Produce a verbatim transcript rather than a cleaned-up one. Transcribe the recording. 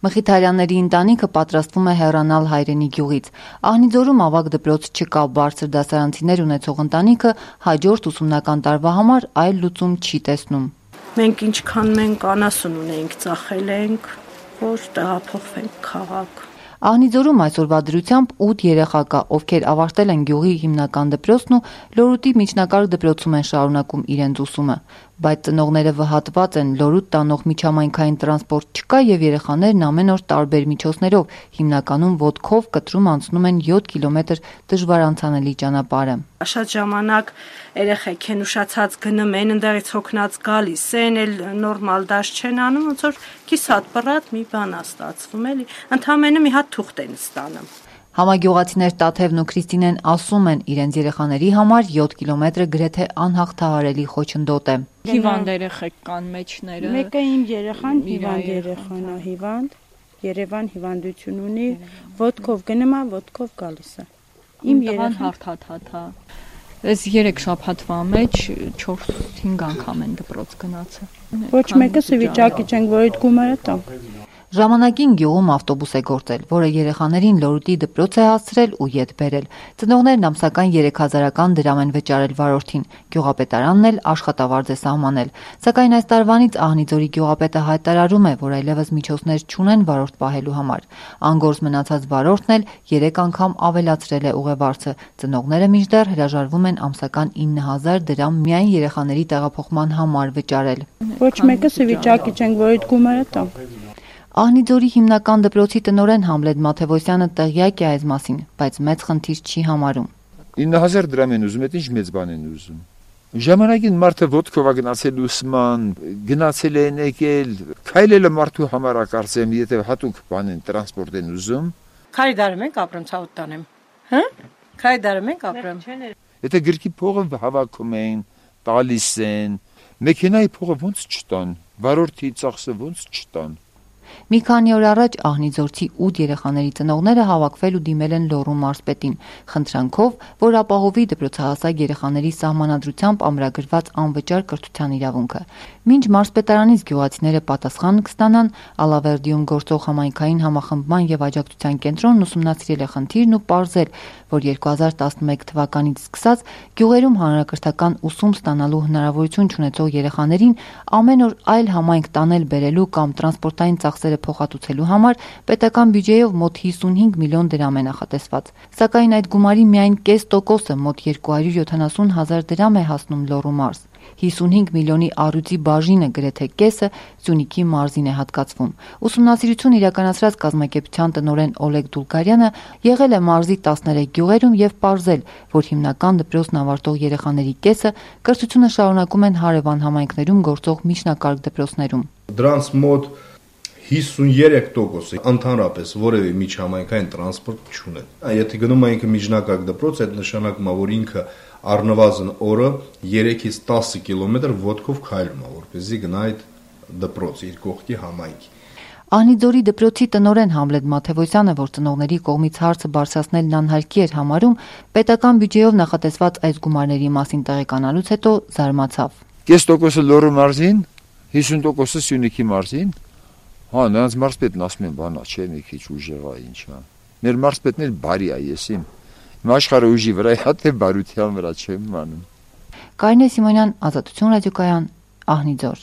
Մխիթարյանների ընտանիքը պատրաստվում է հեռանալ հայրենի գյուղից։ Ահնիձորում ավագ դպրոց չկա, բարձր դասարանցիներ ունեցող ընտանիքը հաջորդ ուսումնական տարվա համար այլ լուծում չի տեսնում։ Մենք ինչքան մենք անասուն ունենք, ծախել ենք, որ տեղափոխվենք քաղաք։ Ահնիձորում այսօրվա դրությամբ ութ երեխա կա, ովքեր ավարտել են գյուղի հիմնական դպրոցն ու Լորուտի միջնակարգ դպրոցում են շարունակում իրենց ուսումը, բայց ծնողները վհատված են, Լորուտ տանող միջհամայնքային տրանսպորտ չկա եւ երեխաներն ամեն օր տարբեր միջոցներով, հիմնականում ոտքով կտրում անցնում են յոթ կիլոմետր դժվար անցանելի ճանապարհը։ Շատ ժամանակ երեխեք են ուշացած գնում են, ընդերից հոգնած գալիս են, էլ նորմալ դաշ չեն անում, ոնց որ կիսատ բռատ մի բան է ստացվում, էլի, ընդամենը մի հատ թուղթ են ստանում։ Համագյուղացիներ Տաթևն ու Քրիստինեն ասում են, իրենց երեխաների համար յոթ կիլոմետրը գրեթե անհաղթահարելի խոչընդոտ է։ Հիվանդ երեխեք կան մեջները։ Մեկը իմ երեխան հիվանդ երեխան է, հիվանդ, Երևան հիվանդություն ունի, ոտքով գնում է, ոտքով գալիս է։ Իմ երեխան հարթաթաթա։ Այս երեք շաբաթվա մեջ չորս-հինգ անգամ են դպրոց գնացել։ Ոչ մեկը վիճակի չենք, որ այդ գումարը տանք։ Ժամանակին գյուղում ավտոբուս է գործել, որը երեխաներին Լորուտի դպրոց է հասցրել ու ետ բերել։ Ծնողներն ամսական երեք հազարական դրամ են վճարել վարորդին, գյուղապետարանն էլ աշխատավարձ է սահմանել։ Սակայն այս տարվանից Ահնիձորի գյուղապետը հայտարարում է, որ այլևս միջոցներ չունեն վարորդ պահելու համար։ Անգործ մնացած վարորդն էլ երեք անգամ ավելացրել է ուղևորցը։ Ծնողները մինչդեռ հրաժարվում են ամսական ինը հազար դրամ միայն երեխաների տեղափոխման համար վճարել։ Ոչ մեկը վիճակի չենք, որ այդ գումարը տանք։ Ահնիձորի հիմնական դպրոցի տնօրեն Համլետ Մաթևոսյանը տեղյակ է այս մասին, բայց մեծ խնդիր չի համարում։ ինը հազար դրամ են ուզում, այդ ինչ մեծ բան են ուզում։ Ժամանակին մարդը ոտքով է գնացել ուսման, գնացել են եկել, քայլելը մարդու համար է կարծեմ, եթե հատուկ բան են տրանսպորտ են ուզում։ Քայդարում ենք ապրում, ցավոտ տանեմ։ Հա՞։ Քայդարում ենք ապրում։ Եթե գրքի փողը հավաքում են, տալիս են, մեքենայի փողը ոնց չտան, վարորդի ծախսը ոնց չտան։ Մի քանի օր առաջ Ահնիձորցի ութ երեխաների ծնողները հավաքվել ու դիմել են Լոռու մարզպետին, խնդրանքով, որ ապահովի դպրոցահասակ երեխաների սահմանադրությամբ ամրագրված անվճար կրթության իրավունքը։ Մինչ մարզպետարանից գյուղացիները պատասխան կստանան, Ալավերդիում գործող համայնքային համախմբման եւ աջակցության կենտրոնն ուսումնասիրել է խնդիրն ու պարզել, որ երկու հազար տասնմեկ թվականից սկսած գյուղերում հանրակրթական ուսում ստանալու հնարավորություն չունեցող երեխաներին ամեն օր այլ համայնք տանել բերելու կամ տրանսպորտային ծախսերը փոխհատուցելու համար պետական բյուջեով մոտ հիսունհինգ միլիոն դրամ է նախատեսված։ Սակայն այդ գումարի միայն կես տոկոսը մոտ երկու հարյուր յոթանասուն հազար դրամ է հասնում Լոռու մարզ։ հիսունհինգ միլիոնի առյուծի բաժինը գրեթե կեսը Սյունիքի մարզին է հատկացվում։ Ուսումնասիրություն իրականացրած կազմակերպության տնօրեն Օլեգ Դուլգարյանը եղել է մարզի տասներեք գյուղերում եւ պարզել, որ հիմնական դպրոցն ավարտող երեխաների կեսը կրթությունը շարունակում են հարևան համայնքներում գործող միջնակարգ դպրոցներում։ Դրանց մոտ հիսունյոթ տոկոսը ընդհանրապես որևէ միջհամայնքային տրանսպորտ չունեն։ Եթե գնում ենք միջնակարգ դպրոց, այդ նշանակում է, որ ինքը առնվազն օրը երեքից տասը կիլոմետր ոտքով քայլում է, որպեսզի գնա այդ դպրոց իր կողքի համայնքի։ Ահնիձորի դպրոցի տնօրեն Համլետ Մաթևոսյանը, որ ծնողների կողմից հարցը բարձրացնելն անհարկի էր համարում, պետական բյուջեով նախատեսված այս գումարների մասին տեղեկանալուց հետո զարմացավ։ Կես տոկոսը Լոռու մարզին, հիսուն տոկոսը Սյունիքի մարզին։ Հա, նրանց մարզպետն ասում են, բանա, չէ, մի քիչ ուժեղ է, ինչ է։ Մեր մարզպետն էլ բարի է, եսիմ։ Իմ աշխարհը ուժի վրա է, թե բարության վրա չեմ անում։ Կարինե Սիմոնյան, Ազատություն ռադիոկայան, Ահնիձոր։